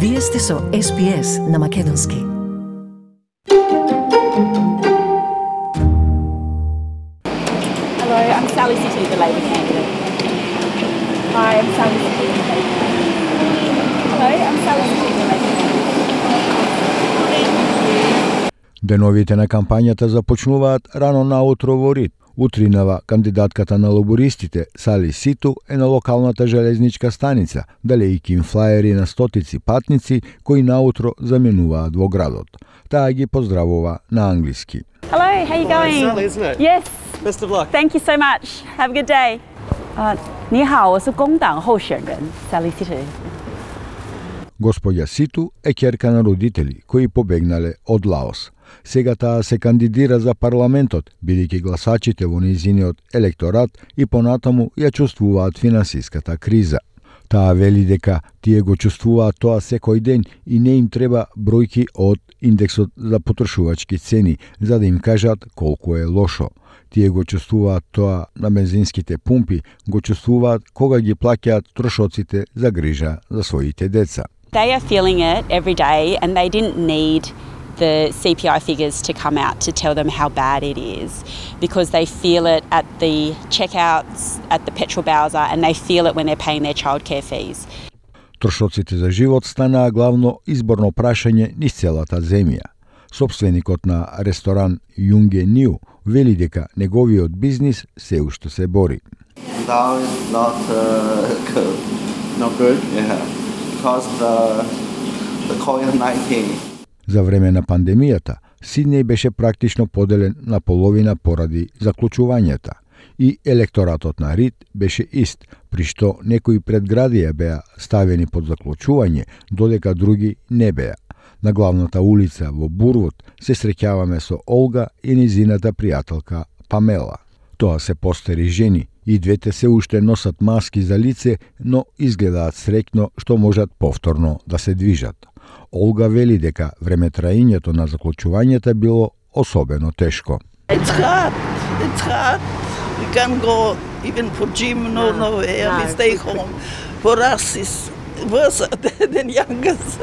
Вие сте со SPS на Македонски. Hello, I'm Sally City, the Labor candidate. Hi, I'm Sally City, the Labor candidate. Hello, I'm Sally City, the Labor candidate. Деновите на кампањата започнуваат рано наутро во Рид. Утринава кандидатката на лабористите Сали Ситу е на локалната железничка станица, далејќи им флаери на стотици патници кои наутро заменуваат во градот. Таа ги поздравува на англиски. Hello, how are you going? Sally, isn't it? Yes. Best of luck. Thank you so much. Have a good day. 你好，我是工党候选人 Sally City. Господја Ситу е ќерка на родители кои побегнале од Лаос. Сега таа се кандидира за парламентот, бидејќи гласачите во нејзиниот електорат и понатаму ја чувствуваат финансиската криза. Таа вели дека тие го чувствуваат тоа секој ден и не им треба бројки од индексот за потрошувачки цени, за да им кажат колку е лошо. Тие го чувствуваат тоа на бензинските пумпи, го чувствуваат кога ги плаќаат трошоците за грижа за своите деца. They are feeling it every day and they didn't need the CPI figures to come out to tell them how bad it is because they feel it at the checkouts, at the petrol bowser and they feel it when they're paying their childcare fees. Трошоците за живот станаа главно изборно прашање низ целата земја. Собственикот на ресторан Юнге Ниу вели дека неговиот бизнис се уште се бори. Now is not good. Not good, yeah. Because the COVID-19. За време на пандемијата, Сиднеј беше практично поделен на половина поради заклучувањата и електоратот на Рид беше ист, при што некои предградија беа ставени под заклучување, додека други не беа. На главната улица во Бурвуд се среќаваме со Олга и низината пријателка Памела. Тоа се постари жени и двете се уште носат маски за лице, но изгледаат среќно што можат повторно да се движат. Олга вели дека времетраењето на заклучувањата било особено тешко. It's hard. It's hard. We can't go even for gym, nowhere. We stay home. For us, it's worse than youngest.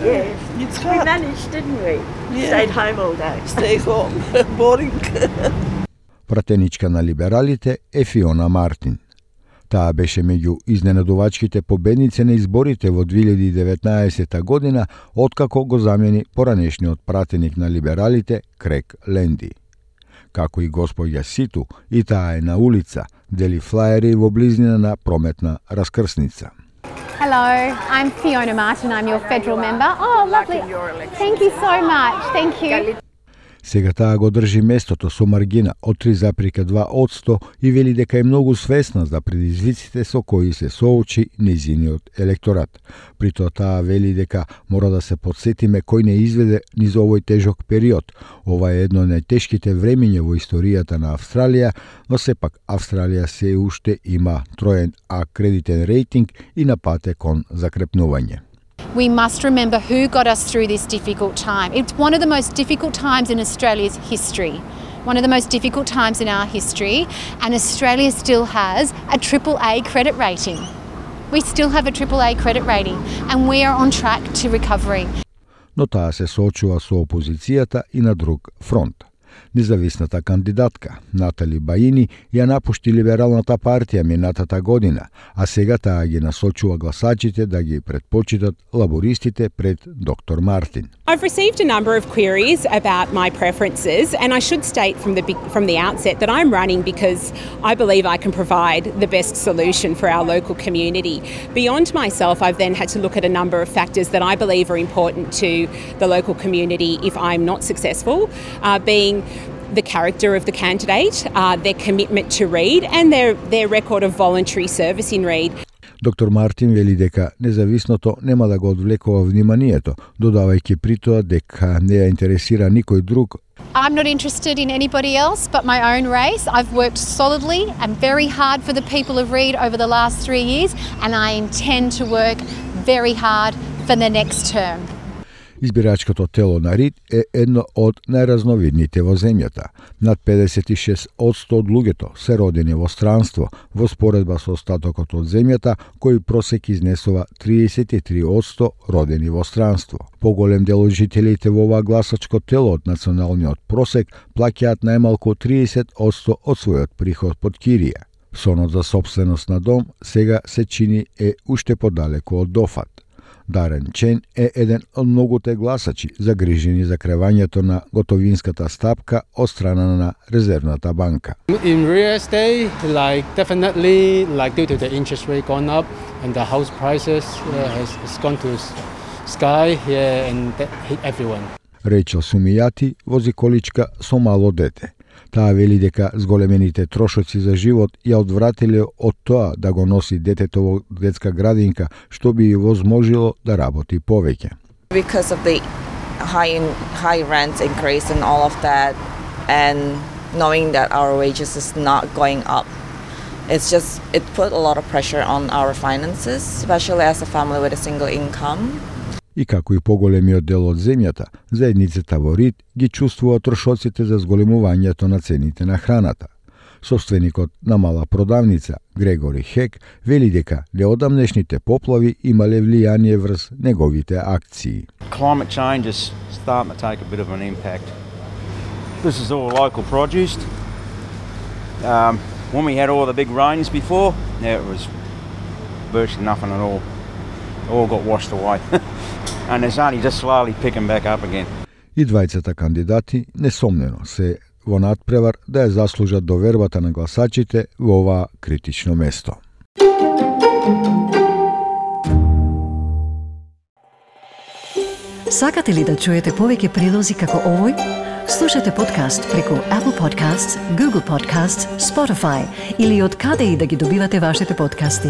Yeah. It's hard. We managed, didn't we? Yeah. Stayed home all day. Stay home. Boring. Пратеничка на либералите е Фиона Мартин. Таа беше меѓу изненадувачките победници на изборите во 2019 година, откако го замени поранешниот пратеник на либералите Крек Ленди. Како и господја Ситу, и таа е на улица, дели флаери во близнина на прометна раскрсница. Hello, I'm Fiona Martin. I'm your federal member. Oh, lovely. Thank you so much. Thank you. Сега таа го држи местото со маргина од 3,2% и вели дека е многу свесна за предизвиците со кои се соочи нејзиниот електорат. При тоа таа вели дека мора да се подсетиме кој не изведе низ овој тежок период. Ова е едно од најтешките времења во историјата на Австралија, но сепак Австралија се уште има троен А кредитен рейтинг и на пат е кон закрепнување. We must remember who got us through this difficult time. It's one of the most difficult times in Australia's history. One of the most difficult times in our history, and Australia still has a AAA credit rating. We still have a AAA credit rating, and we are on track to recovery. Но таа се соочува со опозицијата и на друг фронт. Независната кандидатка Натали Баини ја напушти либералната партија минатата година, а сега таа ги насочува гласачите да ги предпочитат лабористите пред доктор Мартин. I've received a number of queries about my preferences, and I should state from the outset that I'm running because I believe I can provide the best solution for our local community. Beyond myself, I've then had to look at a number of factors that I believe are important to the local community if I'm not successful, being the character of the candidate, their commitment to Reid, and their record of voluntary service in Reid. Доктор Мартин вели дека независното нема да го одвлекува вниманието, додавајќи при тоа дека не ја интересира никој друг. I'm not interested in anybody else but my own race. I've worked solidly and very hard for the people of Reid over the last 3 years, and I intend to work very hard for the next term. Избирачкото тело на Рид е едно од најразновидните во земјата. Над 56% од луѓето се родени во странство, во споредба со остатокот од земјата, кој просек изнесува 33% родени во странство. Поголем дел од жителите во ова гласачко тело од националниот просек плаќаат најмалку 30% од својот приход под кирија. Сонот за сопственост на дом сега се чини е уште подалеку од дофат. Дарен Чен е еден од многуте гласачи загрижени за кревањето на готовинската стапка од страна на Резервната банка. In real estate, definitely due to the interest rate gone up and the house prices has gone to sky and that hit everyone. Речел Сумијати вози количка со мало дете. Таа вели дека зголемените трошоци за живот ја одвратиле од тоа да го носи детето во детска градинка, што би ја возможило да работи повеќе. Because of the high rent increase and all of that, and knowing that our wages is not going up, it put a lot of pressure on our finances, especially as a family with a single income. И како и поголемиот дел од земјата, заедницата во Рид ги чувствува трошоците за зголемувањето на цените на храната. Собственикот на мала продавница, Грегори Хек, вели дека неодамнешните поплави имале влијание врз неговите акции. Climate change is starting to take a bit of an impact. This is all local produce. When we had all the big rains before, it was virtually nothing at all. All got washed away. And it's only just slowly picking back up again. И двајцата кандидати несомнено се во надпревар да ја заслужат довербата на гласачите во ова критично место. Сакате ли да чуете повеќе прилози како овој? Слушате подкаст преку Apple Podcasts, Google Podcasts, Spotify или од каде и да ги добивате вашите подкасти.